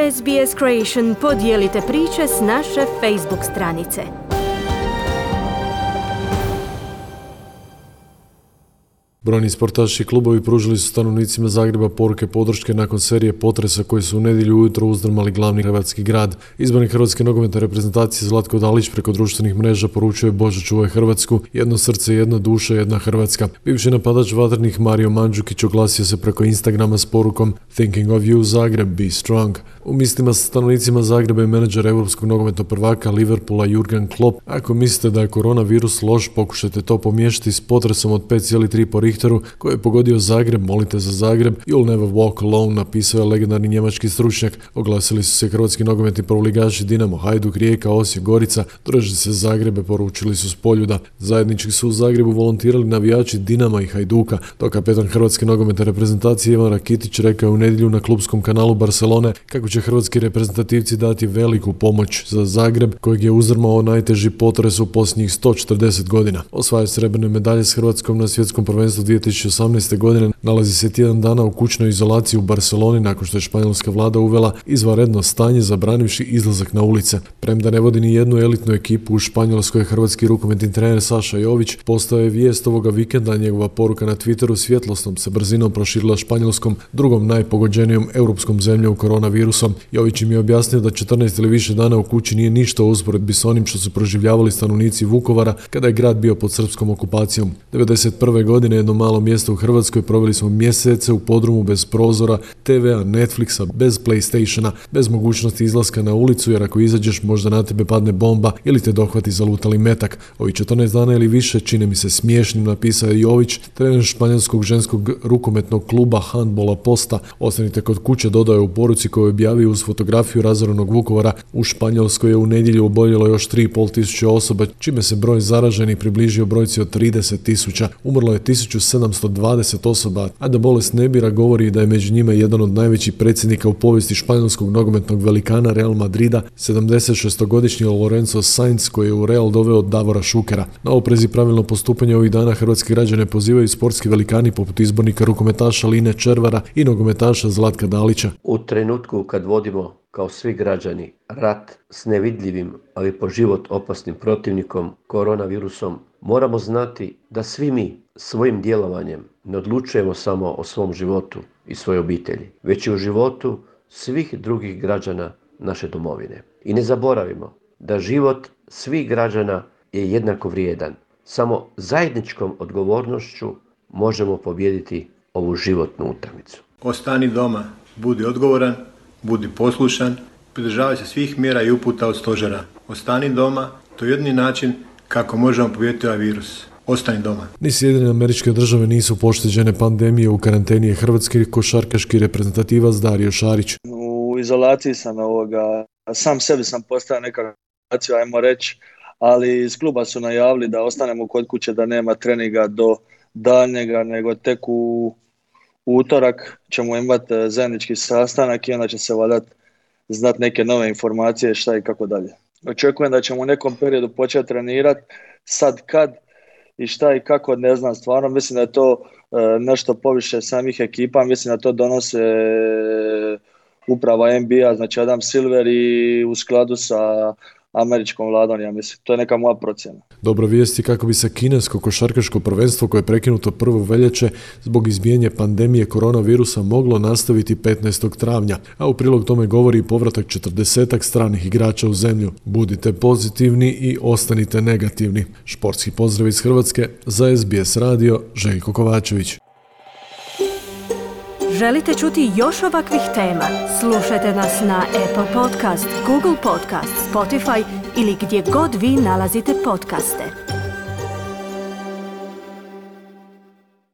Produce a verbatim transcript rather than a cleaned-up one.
S B S Creation podijelite priče s naše Facebook stranice. Brojni sportaši i klubovi pružili su stanovnicima Zagreba poruke podrške nakon serije potresa koji su u nedjelju ujutro uzdrmali glavni hrvatski grad. Izbornik hrvatske nogometne reprezentacije Zlatko Dalić preko društvenih mreža poručio je Bože čuvaj Hrvatsku, jedno srce, jedna duša, jedna Hrvatska. Bivši napadač Vatrenih Mario Mandžukić oglasio se preko Instagrama s porukom Thinking of you Zagreb, be strong. U mislima sa stanovnicima Zagreba i menadžer europskog nogometnog prvaka Liverpoola Jurgen Klopp. Ako mislite da je koronavirus loš, pokušajte to pomiješati s potresom od pet zarez tri po Richteru koji je pogodio Zagreb, molite za Zagreb, you'll never walk alone, napisao je legendarni njemački stručnjak. Oglasili su se hrvatski nogometni prvoligaši Dinamo, Hajduk, Rijeka, Osijek, Gorica. Držite se Zagrebe, poručili su s Poljuda. Zajednički su u Zagrebu volontirali navijači Dinama i Hajduka, dok kapetan hrvatske nogometne reprezentacije Ivan Rakitić rekao u nedjelju na klubskom kanalu Barcelone kako će hrvatski reprezentativci dati veliku pomoć za Zagreb kojeg je uzdrmao najteži potres u posljednjih sto četrdeset godina. Osvajač srebrne medalje s Hrvatskom na svjetskom prvenstvu dvije tisuće osamnaeste. godine nalazi se tjedan dana u kućnoj izolaciji u Barceloni nakon što je španjolska vlada uvela izvanredno stanje zabranivši izlazak na ulice. Premda ne vodi ni jednu elitnu ekipu u Španjolskoj, hrvatski rukometni trener Saša Jović postao je vijest ovoga vikenda, njegova poruka na Twitteru svjetlosnom se brzinom proširila Španjolskom, drugom najpogođenijom europskom zemljom koronavirusom. Jović im je objasnio da četrnaest ili više dana u kući nije ništa u usporedbi s onim što su proživljavali stanovnici Vukovara kada je grad bio pod srpskom okupacijom. devedeset prve. godine jedno malo mjesto u Hrvatskoj proveli smo mjesece u podrumu bez prozora, te vea, Netflixa, bez PlayStationa, bez mogućnosti izlaska na ulicu jer ako izađeš možda na tebe padne bomba ili te dohvati zalutali metak. Ovi četrnaest dana ili više čine mi se smiješnim, napisao je Jović, trener španjolskog ženskog rukometnog kluba handbola Posta. Ostanite kod kuće, dodao je u poruci koju je objavio uz fotografiju razorenog Vukovara. U Španjolskoj je u nedjelju oboljelo još tri i pol tisuće osoba, čime se broj zaraženih približio brojci od trideset tisuća. Umrlo je tisuću sedamsto dvadeset osoba, a da bolest ne bira govori da je među njima jedan od najvećih predsjednika u povijesti španjolskog nogometnog velikana Real Madrida, sedamdesetšestogodišnji Lorenzo Sainz koji je u Real doveo Davora Šukera. Na oprez i pravilno postupanje ovih dana hrvatski građane pozivaju sportski velikani poput izbornika rukometaša Line Červara i nogometaša Zlatka Dalića. U trenutku kad vodimo kao svi građani rat s nevidljivim, ali po život opasnim protivnikom, koronavirusom, moramo znati da svi mi svojim djelovanjem ne odlučujemo samo o svom životu i svojoj obitelji, već i o životu svih drugih građana naše domovine. I ne zaboravimo da život svih građana je jednako vrijedan. Samo zajedničkom odgovornošću možemo pobijediti ovu životnu utakmicu. Ostani doma, budi odgovoran, budi poslušan, pridržavaj se svih mjera i uputa od stožera. Ostani doma, to je jedini način kako možemo pobijediti ovaj virus. Ostani doma. Ni Sjedinjene Američke Države nisu pošteđene pandemije. U karanteni je hrvatski košarkaški reprezentativac Dario Šarić. U izolaciji sam ovoga, sam sebi sam postavio nekakvu izolaciju, ajmo reći, ali iz kluba su najavili da ostanemo kod kuće, da nema treninga do daljnjega, nego tek u utorak ćemo imati zajednički sastanak i onda će se valjda znati neke nove informacije šta i kako dalje. Očekujem da ćemo u nekom periodu početi trenirati, sad kad i šta i kako ne znam, stvarno mislim da je to e, nešto poviše samih ekipa, mislim da to donose e, uprava N B A, znači Adam Silver i u skladu sa američkom vladom, ja mislim. To je neka moja procjena. Dobra vijest je kako bi se kinesko košarkaško prvenstvo koje je prekinuto prvog veljače zbog izbijanja pandemije koronavirusa moglo nastaviti petnaestog travnja, a u prilog tome govori i povratak četrdesetak stranih igrača u zemlju. Budite pozitivni i ostanite negativni. Športski pozdrav iz Hrvatske za S B S radio, Željko Kovačević. Želite čuti još ovakvih tema? Slušajte nas na Apple Podcast, Google Podcast, Spotify ili gdje god vi nalazite podcaste.